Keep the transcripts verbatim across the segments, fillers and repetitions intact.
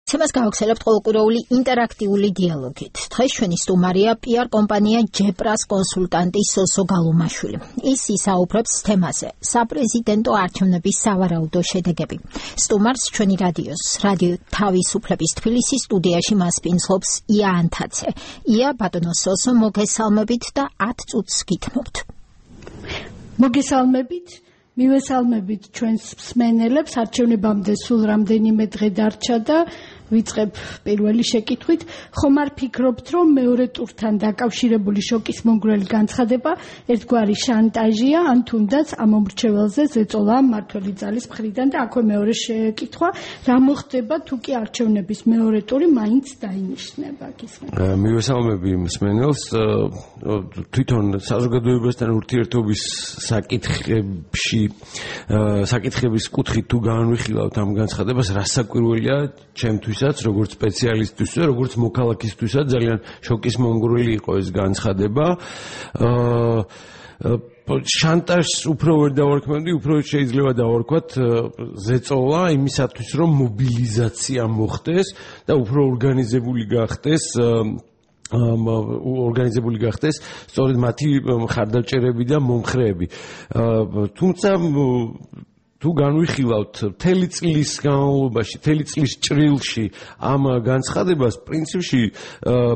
Თემას გავხსენებთ ყოველკვირეული ინტერაქტიული დიალოგით. დღეს ჩვენი სტუმარია პიარ კომპანია ჯეპრას კონსულტანტი სოსო გალუმაშვილი. ის ისაუბრებს თემაზე საპრეზიდენტო არჩევნების სავარაუდო შედეგები. სტუმარს ჩვენი რადიოს, რადიო თავისუფლების თბილისის სტუდიაში მასპინძლობს ია ანთაცე. ია, ბატონო სოსო, მოგესალმებით და ათ წუთს გითმობთ. მოგესალმებით. მივესალმებით ჩვენს მსმენელებს, არჩევნებამდე სულ რამდენიმე დღე დარჩა და ვიწყებ პირველი შეკითხვით. ხომ არ ფიქრობთ, რომ მეორე ტურთან დაკავშირებული შოკის მომგვრელი განცხადება ერთგვარი შანტაჟია, ან თუნდაც ამ მომრჩეველზე ზეწოლა მმართველი ძალის მხრიდან? და აქვე მეორე შეკითხვა, რა მოხდება თუ კი არჩევნების მეორე ტური მაინც დაინიშნება? მივესალმები მსმენელს. თვითონ საზოგადოებასთან ურთიერთობის საკითხებში საკითხების კუთხით თუ განვიხილავთ ამ განცხადებას, რა საკვირველია ჩემთვისაც, როგორც სპეციალისტთვის და როგორც მოქალაქისთვისაც ძალიან შოკის მომგვრელი იყო ეს განცხადება. შანტაჟს უფრო ვერ დავარქმევდი, უფრო შეიძლება დავარქვათ ზეწოლა იმისათვის, რომ მობილიზაცია მოხდეს და უფრო ორგანიზებული გახდეს ორგანიზებული გახდეს სწორედ მათი მხარდაჭერები და მომხრეები. თუმცა თუ განვიხილავთ მთელი წლის განმავლობაში, მთელი წლის ჭრილში ამ განცხადებას, პრინციპში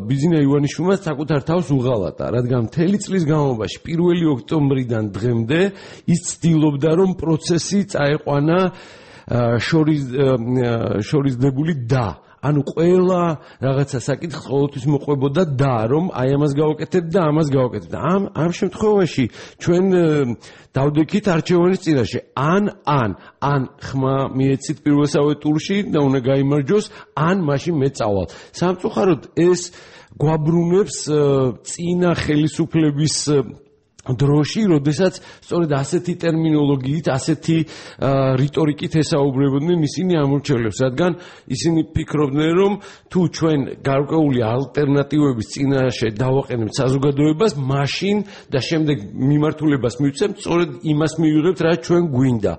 ბიზინა ივანიშვილმა საკუთარ თავს უღალატა, რადგან მთელი წლის განმავლობაში პირველი ოქტომბრიდან დღემდე ის ცდილობდა, რომ პროცესი წაეყვანა შორისდებული და ანუ ყველა რაღაცა საკითხს ყოველთვის მოყვებოდა და რომ აი ამას გავაკეთებ და ამას გავაკეთებ. ამ ამ შემთხვევაში ჩვენ დავდექით არჩევანის წინაშე. ან ან ან ხმა მიეცით პირველსავე ტურში და უნდა გაიმარჯვოს, ან მაშინ მე წავალ. სამწუხაროდ ეს გვაბრუნებს წინა ხელისუფლების დროში, როდესაც სწორედ ასეთი ტერმინოლოგიით, ასეთი რიტორიკით ესაუბრებოდნენ ისინი ამორჩევლებს, რადგან ისინი ფიქრობდნენ, რომ თუ ჩვენ გარკვეული ალტერნატივების წინაშე დავაყენებთ საზოგადოებას, მაშინ და შემდეგ მიმართულებას მივცემთ, სწორედ იმას მივიღებთ, რაც ჩვენ გვინდა.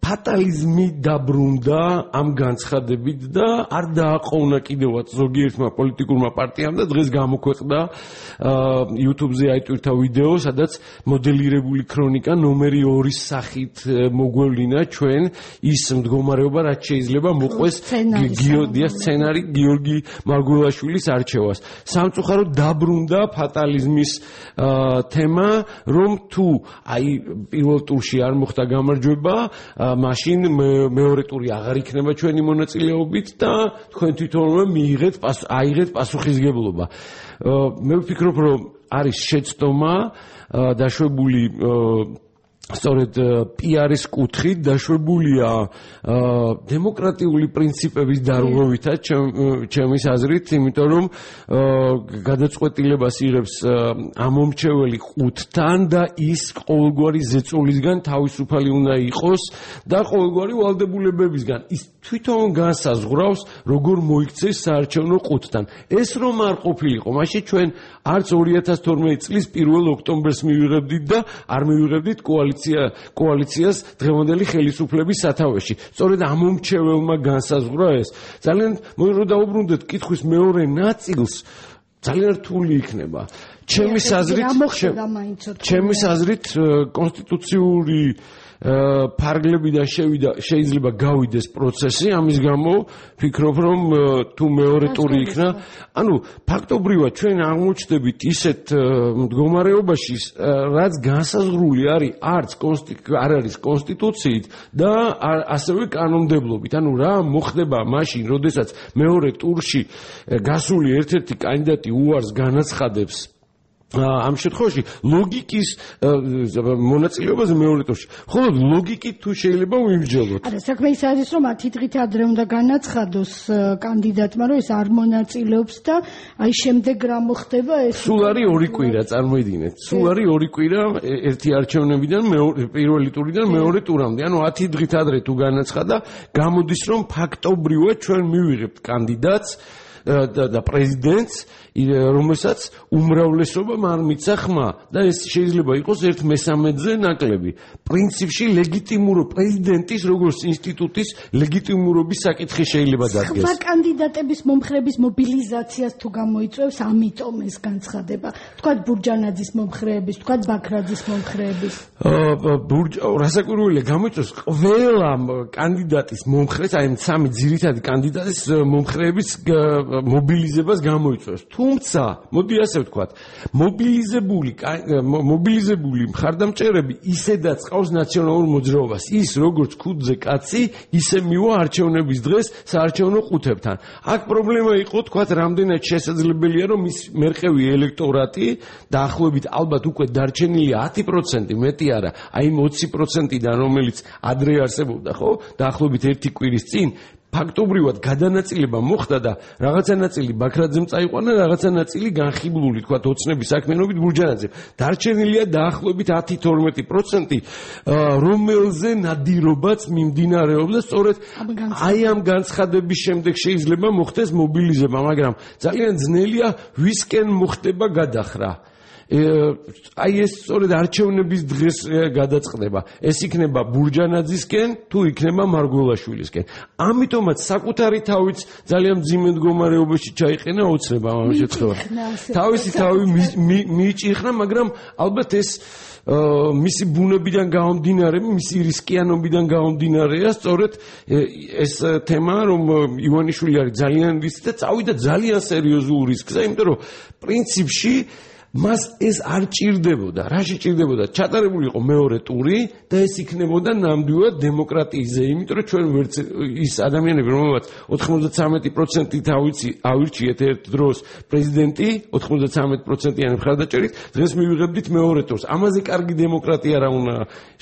ფატალიზმი დაბრუნდა ამ განცხადებით და არ დააყოვნა კიდევაც ზოგიერთმა პოლიტიკურმა პარტიამ და დღეს გამოქვეყნდა YouTube-ზე აიტვირთა ვიდეო, სადაც მოდელირებული ქრონიკა ნომერი ორის სახით მოგვევლინა ჩვენ ის მდგომარეობა, რაც შეიძლება მოყვეს გიოდია სცენარი გიორგი მარგულაშვილის არჩევას. სამწუხაროდ დაბრუნდა ფატალიზმის თემა, რომ თუ აი პირველ ტურში არ მოხდა გამარჯვება, მაშინ მეორე ტური აღარ იქნება ჩვენი მონაწილეობით და თქვენ თვითონვე მიიღეთ აიღეთ პასუხისგებლობა. მე ვფიქრობ, რომ არის შეცდომა დაშვებული სწორედ პიარის კუთხით, დაშვებულია დემოკრატიული პრინციპების დარღვევითაც ჩემის აზრით, იმიტომ რომ გადაწყვეტილებას იღებს ამომრჩეველი ყუთთან და ის ყოველგვარი ზეწოლისგან თავისუფალი უნდა იყოს და ყოველგვარი ვალდებულებებისგან. ის თვითონ განსაზღვრავს, როგორ მოიქცეს საარჩევნო ყუთთან. ეს რომ არ ყოფილიყო, მაშინ ჩვენ არც ორი ათას თორმეტი წლის პირველ ოქტომბერს მივიღებდით და არ მივიღებდით კოალიცია კოალიციას დღევანდელი ხელისუფლების სათავეში. სწორედ ამომრჩეველმა განსაზღვრა ეს. ძალიან მოირო დაუბრუნდეთ კითხვის მეორე ნაწილს, ძალიან რთული იქნება. ჩემის აზრით, ჩემის აზრით კონსტიტუციური ფარგლებიდან შევიდა შეიძლება გავიდეს პროცესი, ამის გამო ფიქრობ, რომ თუ მეორე ტური იქნა, ანუ ფაქტობრივად ჩვენ აღმოჩნდებით ისეთ მდგომარეობაში, რაც განსაზღვრული არის არც არ არის კონსტიტუციით და ასევე კანონმდებლობით. ანუ რა მოხდება მაშინ, როდესაც მეორე ტურში გასული ერთ-ერთი კანდიდატი უარს განაცხადებს ამ შემთხვევაში ლოგიკის მონაწილეობაზე მეორე ტურში. ხოლო ლოგიკით თუ შეიძლება ვიმსჯელოთ. არა, საქმე ის არის, რომ ათი დღით ადრე უნდა განაცხადოს კანდიდატმა, რომ ეს არ მონაწილეობს და აი შემდეგ რა მოხდება ეს. სულ არის ორი კვირა, წარმოიდგინეთ. სულ არის ორი კვირა ერთი არჩევნებიდან პირველი ტურიდან მეორე ტურამდე. ანუ ათი დღით ადრე თუ განაცხადა, გამოდის, რომ ფაქტობრივად ჩვენ მივიღებთ კანდიდატს და პრეზიდენტს, რომელსაც უმრავლესობამ არ მიცა ხმა და ეს შეიძლება იყოს ერთ მესამედზე ნაკლები. პრინციპში ლეგიტიმურო პრეზიდენტის როგორც ინსტიტუტის ლეგიტიმურობის საკითხი შეიძლება დადგეს. სხვა კანდიდატების მომხრეების მობილიზაციას თუ გამოიწვევს, ამიტომ ეს განცხადება. თქვათ ბურჯანაძის მომხრეების, თქვათ ბაქრაძის მომხრეების. რასაკვირველია გამოიწვევს ყველა კანდიდატის მომხრეს, აი სამი ძირითადი კანდიდატის მომხრეების მობილიზებას გამოიწვევს. თუმცა, მოდი ასე ვთქვათ, მობილიზებული მობილიზებული მხარდამჭერები ისედაც ყავს ნაციონალურ მოძრაობას. ის როგორც ქუდზე კაცი, ისე მივა არჩევნების დღეს საარჩევნო ყუთებთან. აქ პრობლემა იყო, თქვათ, რამდენად შესაძლებელია, რომ ის მერყევი ელექტორატი დაახლოებით ალბათ უკვე დარჩენილია ათი პროცენტი, მეტი არა, აი იმ ოცი პროცენტიდან, რომელიც ადრე არსებობდა, ხო? დაახლოებით ერთი კვირის წინ ფაქტობრივად გადანაწილება მოხდა და რაღაცა ნაწილი ბაქრაძემ წაიყვანა, რაღაცა ნაწილი განხიბლული, თქვათ, ოცნების საქმიანობით ბურჯანაძემ. დარჩენილია დაახლოებით ათი თორმეტი პროცენტი, რომელზე ნადირობაც მიმდინარეობს და სწორედ აი ამ განცხადების შემდეგ შეიძლება მოხდეს მობილიზება, მაგრამ ძალიან ძნელია ვისკენ მოხდება გადახრა. აი ეს სწორედ არჩევნების დღეს გადაწყდება. ეს იქნება ბურჯანაძისკენ, თუ იქნება მარგველაშვილისკენ. ამიტომაც საკუთარი თავიც ძალიან მძიმე მდგომარეობაში ჩაიყენა ოცნება ამ შემთხვევაში. თავისი თავი მიიჭიხნა, მაგრამ ალბათ ეს მისი ბუნებიდან გამომდინარე, მისი რისკიანობიდან გამომდინარეა, სწორედ ეს თემა, რომ ივანიშვილი არის ძალიან რისკი და წავიდა ძალიან სერიოზულ რისკზე, იმიტომ რომ პრინციპში მას ეს არ ჭირდებოდა. რაში ჭირდებოდა? ჩატარებული იყო მეორე ტური და ეს იქნებოდა ნამდვილად დემოკრატიაზე, იმიტომ რომ ჩვენ ვერც ის ადამიანები, რომელსაც ოთხმოცდათრამეტი პროცენტი თავიცი ავირჩიეთ ერთ დროს პრეზიდენტი, ოთხმოცდათრამეტი პროცენტიანი მხარდაჭერით, დღეს მივიღებდით მეორე ტურს. ამაზე კარგი დემოკრატია რა უნდა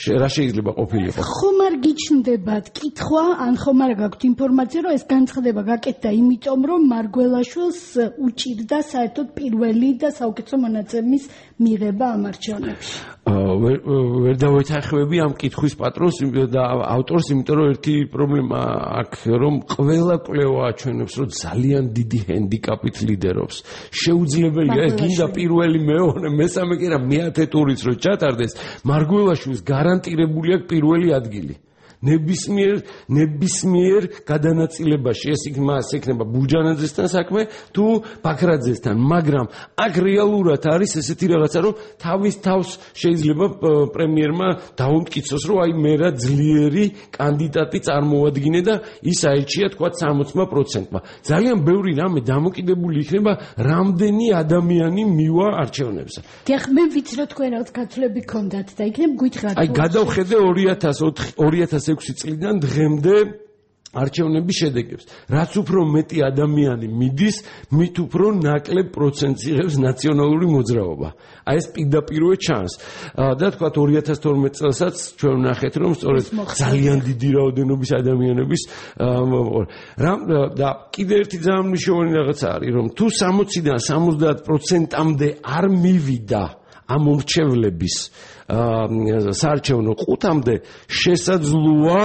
რა შეიძლება ყოფილიყო? ხომ არ გიჩნდებათ კითხვა, ან ხომ არ გაქვთ ინფორმაცია, რომ ეს განცხადება გაკეთდა იმიტომ, რომ მარგველაშვილს უჭირდა საერთოდ პირველი და საუკეთესო მონაწემის მიღება ამ არჩევნებში. ვერ დავეთანხმები ამ კითხვის პატრონს და ავტორს, იმიტომ რომ ერთი პრობლემა აქ, რომ ყველა კვლევა აჩვენებს, რომ ძალიან დიდი ჰენდიკაპით ლიდერობს. შეუძლებელია ეს გინდა პირველი, მეორე, მესამე კი რა მეათე ტურიც რო ჩატარდეს, მარგველაშვილს გარანტირებული აქვს პირველი ადგილი. ნებისმიერ ნებისმიერ გადანაწილებაში ეს იქნება იქნება ბურჯანაძესთან საქმე თუ ბაქრაძესთან, მაგრამ აქ რეალურად არის ესეთი რაღაცა, რომ თავის თავს შეიძლება პრემიერმა დაუმტკიცოს, რომ აი მე რა ძლიერი კანდიდატი წარმოვადგინე და ის აირჩია თქვა სამოცმა პროცენტმა. ძალიან ბევრი რამე დამოკიდებული იქნება რამდენი ადამიანი მივა არჩევნებზე. დიახ, მე ვიცი რომ თქვენ რაღაც გაცვლები გქონდათ და იქნებ გითხრათ. აი გადავხედე ორი ათას ექვსი წლიდან დღემდე არჩევნების შედეგებს. რაც უფრო მეტი ადამიანი მიდის, მით უფრო ნაკლებ პროცენტს იღებს ნაციონალური მოძრაობა. აი ეს პირდაპირ ჩანს. და თქვათ ორი ათას თორმეტი წელსაც ჩვენ ვნახეთ, რომ სწორედ ძალიან დიდი რაოდენობის ადამიანების და კიდევ ერთი ძალიან მნიშვნელოვანი რაღაცა არის, რომ თუ სამოციდან სამოცდაათ პროცენტამდე არ მივიდა ამ მომრჩევლების საარჩევნო ყუთამდე, შესაძლოა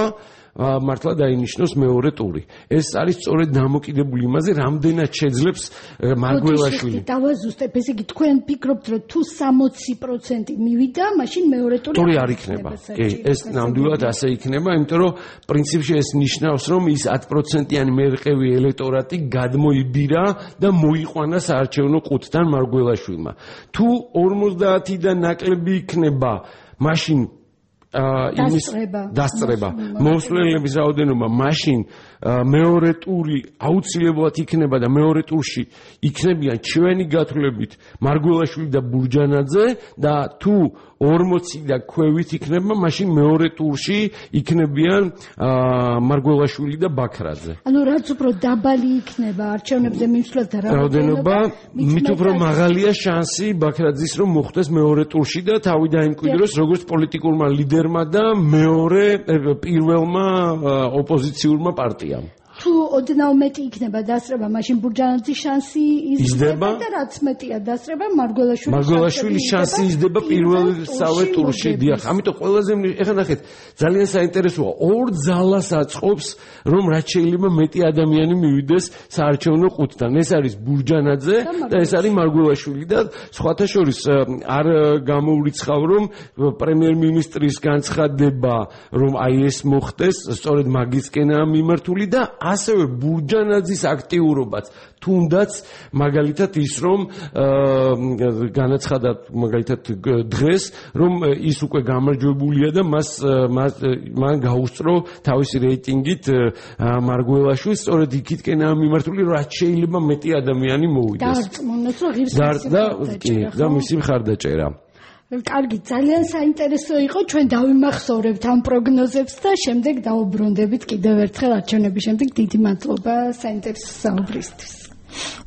მართლა დაინიშნოს მეორე ტური. ეს არის სწორედ დამოკიდებული იმაზე, რამდენად შეძლებს მარგველაშვილი. დავაზუსტებ, ესე იგი თქვენ ფიქრობთ, რომ თუ სამოცი პროცენტი მივიდა, მაშინ მეორე ტური ტური არ იქნება. კი, ეს ნამდვილად ასე იქნება, იმიტომ რომ პრინციპში ეს ნიშნავს, რომ ის ათი პროცენტიანი მერყევი ელექტორატი გადმოიბირა და მოიყვანა საარჩევნო ყუთთან მარგველაშვილმა. თუ ორმოცდაათიდან ნაკლები იქნება, მაშინ იმის დასწრება მოსვლელების რაოდენობა, მაშინ მეორე ტური აუცილებლად იქნება და მეორე ტურში იქნებიან ჩვენი გათვლებით მარგველაშვილი და ბურჯანაძე და თუ ორმოცი და ქვევით იქნება, მაშინ მეორე ტურში იქნებიან მარგველაშვილი და ბაქრაძე. ანუ რაც უფრო დაბალი იქნება არჩევნებზე მიმსვლელთა რაოდენობა, მით უფრო მაღალია შანსი ბაქრაძის რომ მოხვდეს მეორე ტურში და თავი დაიმკვიდროს როგორც პოლიტიკურმა ლიდერმა და მეორე პირველმა ოპოზიციურმა პარტიამ. თუ ოდნავ მეტი იქნება დასწრება, მაშინ ბურჯანაძის შანსი იზრდება და რაც მეტია დასწრება, მარგველაშვილის მარგველაშვილის შანსი იზრდება პირველსავე ტურში. დიახ, ამიტომ ყველაზე ეხლა ნახეთ, ძალიან საინტერესოა. ორ ძალას აწყობს, რომ რაც შეიძლება მეტი ადამიანი მივიდეს საარჩევნო ყუთთან. ეს არის ბურჯანაძე და ეს არის მარგველაშვილი და სხვათა შორის არ გამოურიცხავ, რომ პრემიერ-მინისტრის განცხადება, რომ აი ეს მოხდეს, სწორედ მაგისკენაა მიმართული და ასევე ბურჯანაძის აქტიურობაც, თუნდაც მაგალითად ის, რომ განაცხადა მაგალითად დღეს, რომ ის უკვე გამარჯვებულია და მას მან გაუსწრო თავისი რეიტინგით მარგველაშვილს, სწორედ იქითკენაა მიმართული, რომ რაც შეიძლება მეტი ადამიანი მოვიდეს. დარწმუნოს, რომ ღირს და მისი მხარდაჭერა. კარგი, ძალიან საინტერესო იყო, ჩვენ დავიმახსოვრებთ ამ პროგნოზებს და შემდეგ დავუბრუნდებით კიდევ ერთხელ არჩევნების შემდეგ. დიდი მადლობა საინტერესო საუბრისთვის.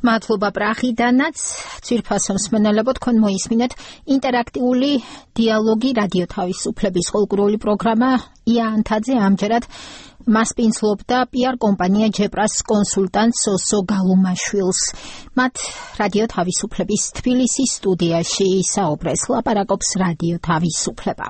მადლობა პრახიდანაც, ძვირფასო მსმენელებო, თქვენ მოისმინეთ ინტერაქტიული დიალოგი რადიო თავისუფლების ყოლგრული პროგრამა. ია ანთაძე ამჯერად მას პინცლობდა პიარ კომპანია ჯეპრას კონსულტანტ სოსო გალუმაშვილს. მათ რადიო თავისუფლების თბილისის სტუდიაში საუბრეს. ლაპარაკობს რადიო თავისუფლება.